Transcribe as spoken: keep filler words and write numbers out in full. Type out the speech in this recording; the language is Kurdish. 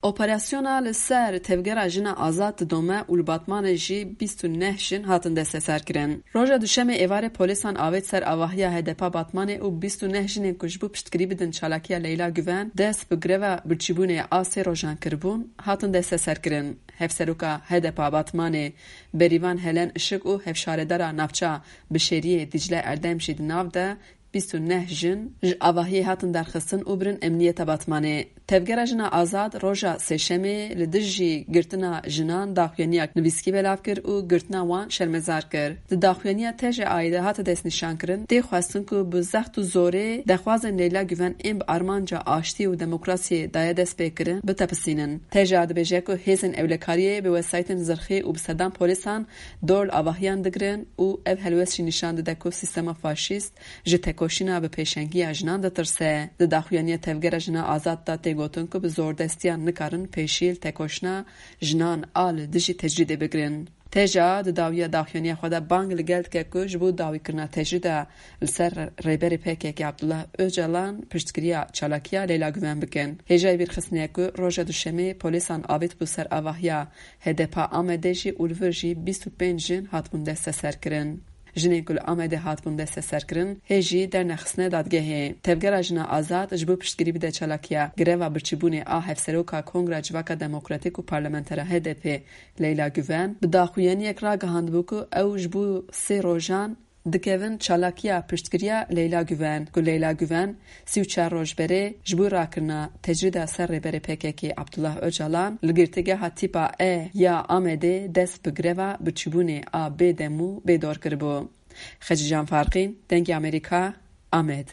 Operasyona li ser tevgera jina azad didome û li Batmanê jî bîst û neh jin hatin desteserkirin. Roja Duşemê êvarê polîsan avêt ser avahiya H D P a Batmanê û bîst û neh jinên ku ji bo piştgirî bidin çalakiya Leyla Guven dest bi greva birçîbûnê a sê rojan kiribûn, hatin desteserkirin. Hevseroka H D P a Batmanê Berîvan Helen Işik û hevşaredara navça Bişêriyê Dîcle Erdem jî di nav de bîst û neh jin ji avahiyê hatin derxistin û birin emniyeta Batmanê. Tevgera Jina Azad roja Sêşemê li dijî girtina jinan daxuyaniya nivîskî belav kir û girtina wan şermezar kir. Di daxuyaniya T J A'yê de hate destnîşankirin, tê xwestin ku bi zext û zorê dexwazên Leyla Guven ên bi armanca aştî û demokrasiyê daye destpêkirin bitepisînin. T J A dibêje ku hêzên ewlekariyê bi wesayîtên zirxî û bi sedan polîsan dor li avahiyan digirin û ev helwest jî nîşan dide ku sîstema faşîst ji tekoşîna bi pêşengiya jinan ditirse. Di daxuyaniya Tevgera Jina Azad de tê gotin ku bi zordestiyan nikarin pêşî li tekoşîna jinan a li dijî tecrîdê bigirin. T J A di dawiya daxuyaniya xwe de bang li gel dike ku ji bo dawîkirina tecrîda li ser rêberê P K K Abdullah Ocalan piştgiriya çalakiya Leyla Guven bikin. Hêjayî bîrxistinê ye ku roja Duşemê polîsan avêt bû ser avahiya H D P a Amedê jî û li vir jî bîst û pênc jin hatibûn desteserkirin. Jinên ku li Amedê hatibûn desteserkirin, hê jî dernexistine dadgehê. Tevgera Jina Azad ji bo piştgirî bide çalakiya greva birçîbûnê a Hevseroka Kongra Civaka Demokratîk û Parlamentera H D P Leyla Guven, bi daxuyaniyek ragihandibû ku ew ji bo sê rojan dikevin çalakiya piştgiriya Leyla Guven, ku Leyla Guven sî û çar roj berê ji bo rakirina tecrîda ser rêberê P K K Abdullah Ocalan li girtîgeha tîpa E ya Amedê dest bi greva birçîbûnê a bêdem û bêdor kiribû. Xecîcan Farqîn, Dengê Amerîka, Amed.